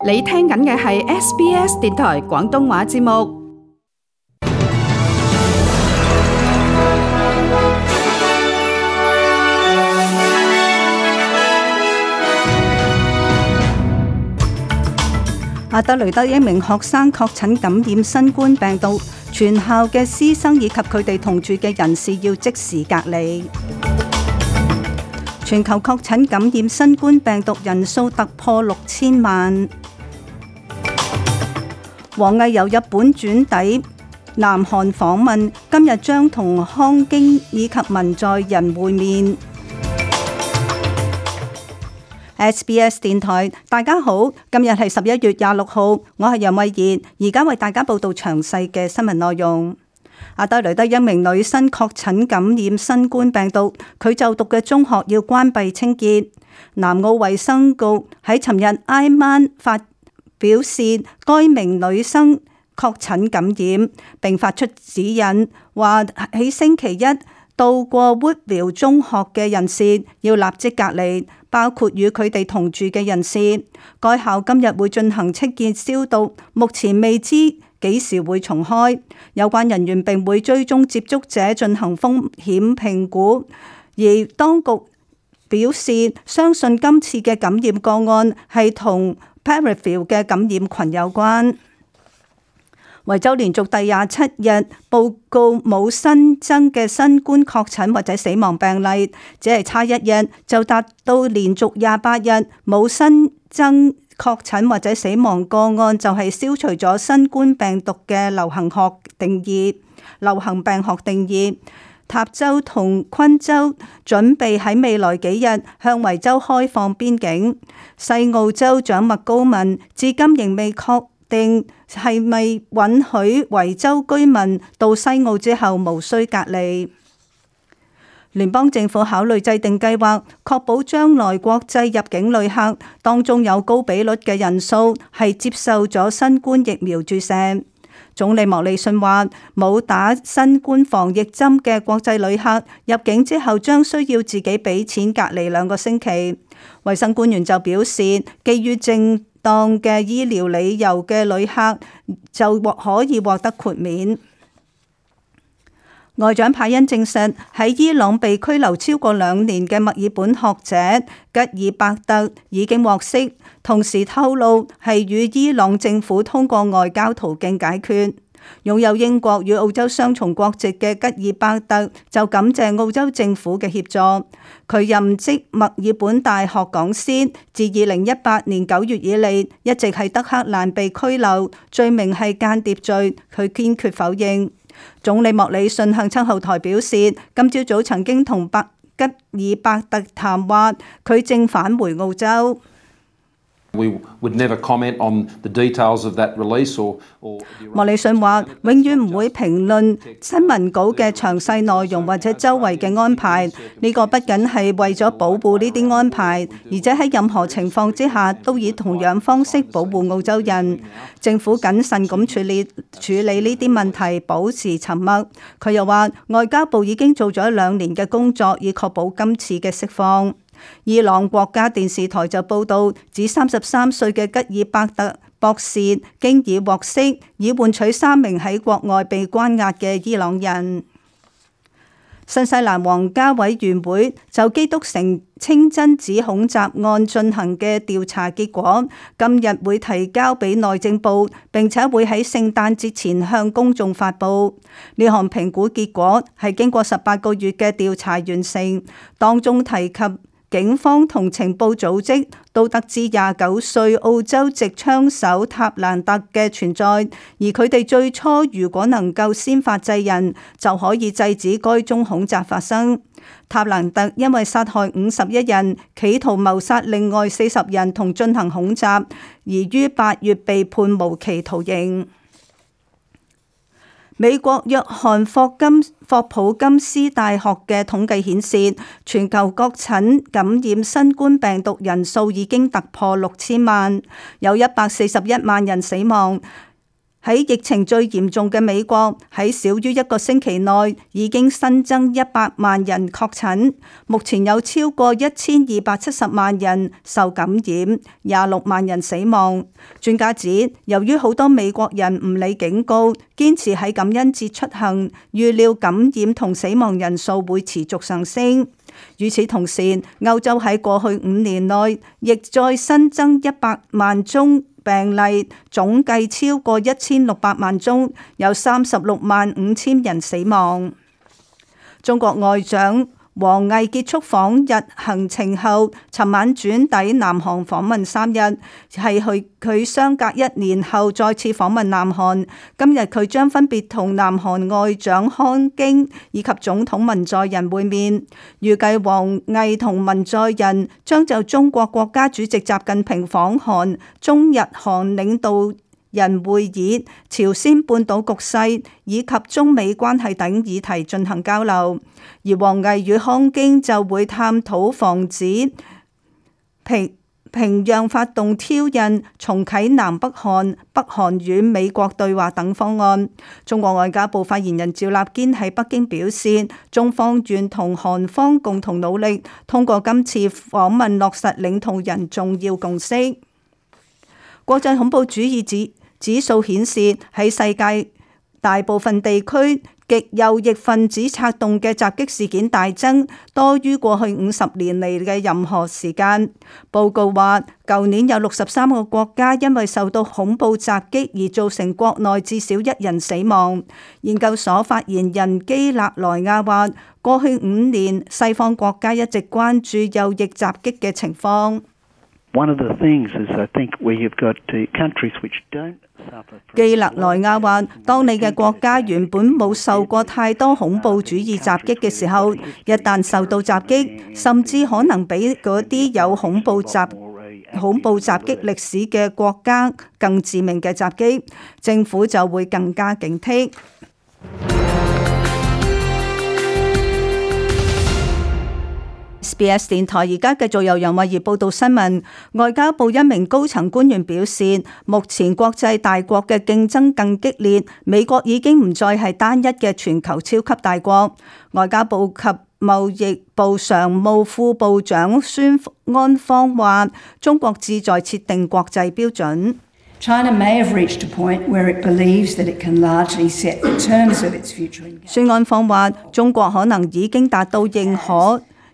你聽緊嘅係 SBS 電台廣東話節目。阿德雷德一名學生確診感染新冠病毒，全校嘅師生以及佢哋同住嘅人士要即時隔離。全球確診感染新冠病毒人數突破6000萬。王毅由日本轉抵南韓訪問，今日將同康京以及文在寅會面。SBS 電台，大家好，今日係11月26號，我係楊慧儀，而家為大家報道詳細嘅新聞內容。阿德雷德一名女生確診感染新冠病毒，佢就讀嘅中學要關閉清潔。南澳衛生局喺尋日挨晚表示，該名女生確診感染，並發出指引，話喺星期一到過 Woodville 中學嘅人士要立即隔離，包括與佢哋同住嘅人士。該校今日會進行清潔消毒，目前未知幾時會重開。有關人員並會追蹤接觸者進行風險評估。而當局表示，相信今次嘅感染個案係同 Perryville 嘅感染群有關。維州連續第27日報告冇新增嘅新冠確診或者死亡病例，只係差一日就達到連續28日冇新增確診或者死亡個案，就係消除咗新冠病毒嘅流行病學定義。塔州同昆州準備喺未來幾日向維州開放邊境。西澳州長麥高文至今仍未確定係咪允許維州居民到西澳之後無需隔離。聯邦政府考慮制定計劃，確保將來國際入境旅客當中有高比率嘅人數係接受咗新冠疫苗注射。總理莫里遜話，冇打新冠防疫針嘅國際旅客入境之後將需要自己俾錢隔離2個星期。衛生官員就表示，基於正當嘅醫療理由嘅旅客就可以獲得豁免。外長派恩證實，喺伊朗被拘留超過2年嘅墨爾本學者吉爾伯特已經獲釋，同時透露係與伊朗政府通過外交途徑解決。擁有英國與澳洲雙重國籍嘅吉爾伯特就感謝澳洲政府嘅協助。佢任職墨爾本大學講師，自2018年9月以嚟一直喺德克蘭被拘留，罪名係間諜罪，佢堅決否認。總理莫里遜向親後台表示，今朝早曾經同吉爾伯特談話，佢正返回澳洲。莫里遜話：永遠唔會評論新聞稿嘅詳細內容或者周圍嘅安排。呢個不僅係為咗保護呢啲安排，而且喺任何情況之下都以同樣方式保護澳洲人。政府謹慎咁處理呢啲問題，保持沉默。佢又話：外交部已經做咗2年嘅工作，以確保今次嘅釋放。伊朗國家電視台就報道，指33歲嘅吉爾伯特博士經已獲釋，以換取3名喺國外被關押嘅伊朗人。新西蘭皇家委員會就基督城清真寺恐襲案進行嘅調查結果，今日會提交俾內政部，並且會喺聖誕節前向公眾發布。呢項評估結果係經過18個月嘅調查完成，當中提及警方同情報組織都得知29歲澳洲籍槍手塔蘭特嘅存在，而佢哋最初如果能夠先發制人，就可以制止該宗恐襲發生。塔蘭特因為殺害51人，企圖謀殺另外40人同進行恐襲，而於8月被判無期徒刑。美國約翰霍普金斯大學嘅統計顯示，全球確診感染新冠病毒人數已經突破6000萬，有141萬人死亡。喺疫情最嚴重嘅美國，喺少於一個星期內已經新增100萬人確診，目前有超過1270萬人受感染，26萬人死亡。專家指，由於好多美國人唔理警告，堅持喺感恩節出行，預料感染同死亡人數會持續上升。與此同時，歐洲喺過去5年內亦再新增100萬宗病例，總計超過1600萬宗，有36萬5千人死亡。中國外長王毅結束訪日行程後，尋晚轉抵南韓訪問3日，係佢相隔1年後再次訪問南韓。今日佢將分別同南韓外長康京以及總統文在寅會面。預計王毅同文在寅將就中國國家主席習近平訪韓、中日韓領導人會議、朝鮮半島局勢以及中美關係等議題進行交流，而王毅與康京就會探討防止平壤發動挑釁、重啟南北韓、北韓與美國對話等方案。中國外交部發言人趙立堅喺北京表示，中方願同韓方共同努力，通過今次訪問落實領導人重要共識。國際恐怖主義指數顯示，喺世界大部分地區，極右翼分子策動嘅襲擊事件大增，多於過去50年嚟嘅任何時間。報告話，舊年有63個國家因為受到恐怖襲擊而造成國內至少1人死亡。研究所發言人基勒萊亞話，過去5年，西方國家一直關注右翼襲擊嘅情況。基勒萊亞話，當你嘅國家原本冇受過太多恐怖主義襲擊嘅時候，一旦受到襲擊，甚至可能比嗰啲有恐怖襲擊歷史嘅國家更致命嘅襲擊，政府就會更加警惕。SBS 電台而家繼續由楊慧儀報道新聞。外交部一名高層官員表示，目前國際大國嘅競爭更激烈，美國已經唔再係單一嘅全球超級大國。外交部及貿易部常務副部長孫安芳話，中國志在設定國際標準。China may have reached a point where it believes that it can largely set the terms of its future engagement. 孫安芳話，中國可能已經達到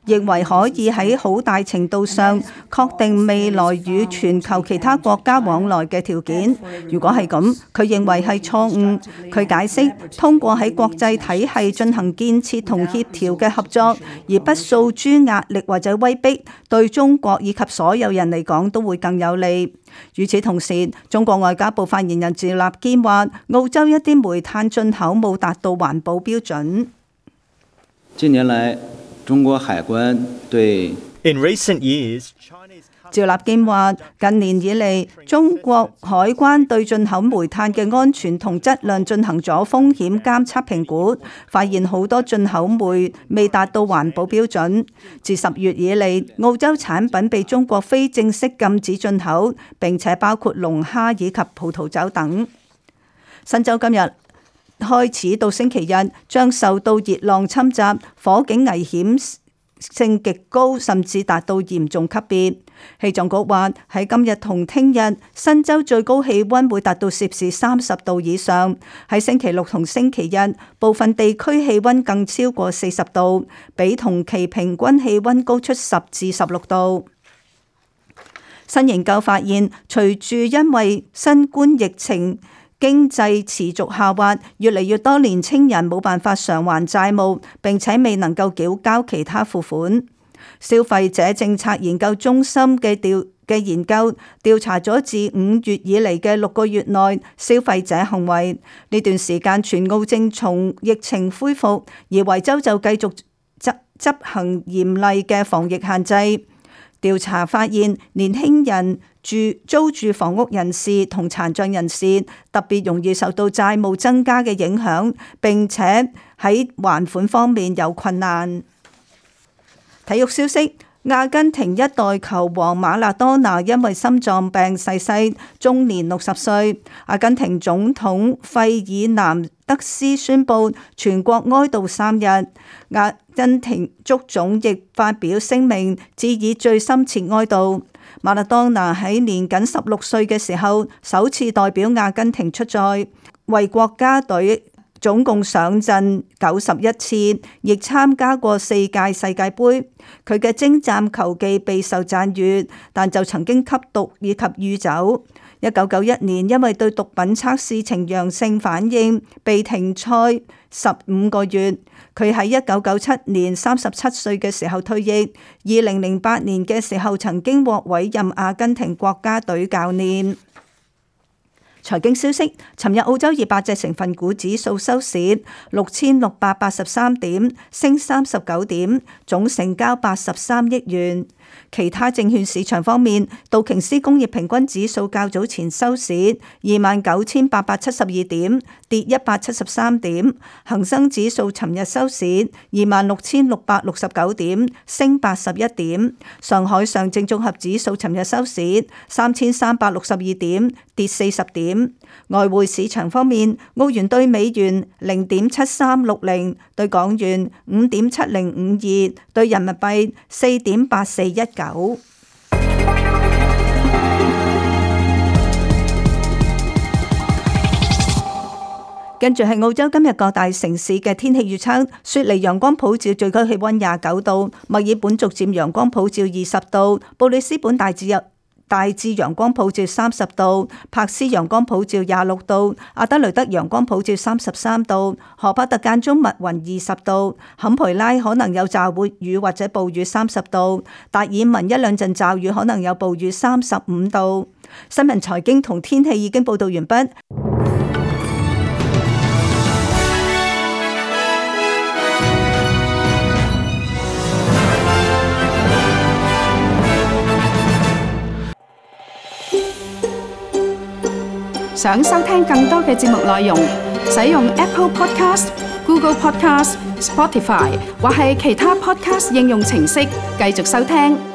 認為可以喺好大程度上確定未來與全球其他國家往來嘅條件。如果係咁，佢認為係錯誤。佢解釋，通過喺國際體系進行建設同協調嘅合作，而不訴諸壓力或者威逼，對中國以及所有人嚟講都會更有利。與此同時，中國外交部發言人趙立堅話，澳洲一啲煤炭進口冇達到環保標準。近年來，中國海關對趙立堅話，近年以嚟，中國海關對進口煤炭嘅安全同質量進行咗風險監測評估，發現好多進口煤未達到環保標準。自10月以嚟，澳洲產品被中國非正式禁止進口，並且包括龍蝦以及葡萄酒等。新州今日開始到星期日將受到熱浪侵襲，火警危險性極高，甚至達到嚴重級別。氣象局話喺今日同聽日，新州最高氣溫會達到攝氏30度以上。喺星期六同星期日，部分地區氣溫更超過40度，比同期平均氣溫高出10至16度。新研究發現，隨住因為新冠疫情，經濟持續下滑，越嚟越多年青人冇辦法償還債務，並且未能夠繳交其他付款。消費者政策研究中心嘅研究調查咗自5月以嚟嘅6個月內消費者行為。呢段時間，全澳正從疫情恢復，而維州就繼續執行嚴厲嘅防疫限制。調查發現，年輕人、租住房屋人士同殘障人士特別容易受到債務增加嘅影響，並且喺還款方面有困難。體育消息，阿根廷一代球王馬勒多拿因為心臟病逝世，終年60歲。阿根廷總統費爾南德斯宣布全國哀悼3日。阿根廷足總亦發表聲明，致以最深切哀悼。馬勒多拿喺年僅16歲嘅時候，首次代表阿根廷出賽，為國家隊總共上陣91次，亦參加過4屆世界盃。佢嘅精湛球技備受讚譽，但就曾經吸毒以及酗酒。1991年因為對毒品測試呈陽性反應，被停賽15個月。佢喺1997年37歲嘅時候退役。2008年嘅時候曾經獲委任阿根廷國家隊教練。財經消息，尋日澳洲200隻成分股指數收市6683點，升39點，總成交83億元。其他證券市場方面，道瓊斯工業平均指數較早前收市29,872點，跌173點；恒生指數尋日收市26,669點，升81點；上海上證綜合指數尋日收市3,362點，跌40點。外匯市場方面，澳元對美元0.7360，對港元5.7052，對人民幣4.8419。跟住係澳洲今日各大城市嘅天氣預測：雪梨陽光普照，最高氣溫29度；墨爾本逐漸陽光普照20度；布里斯本大致陽光普照30度，柏斯陽光普照26度，阿德雷德陽光普照33度，荷巴特間中密雲20度，坎培拉可能有驟雨或者暴雨30度，達爾文一兩陣驟雨可能有暴雨35度。新聞財經同天氣已經報道完畢。想收聽更多嘅節目內容，使用 Apple Podcast、Google Podcast、Spotify 或係其他 Podcast 應用程式繼續收聽。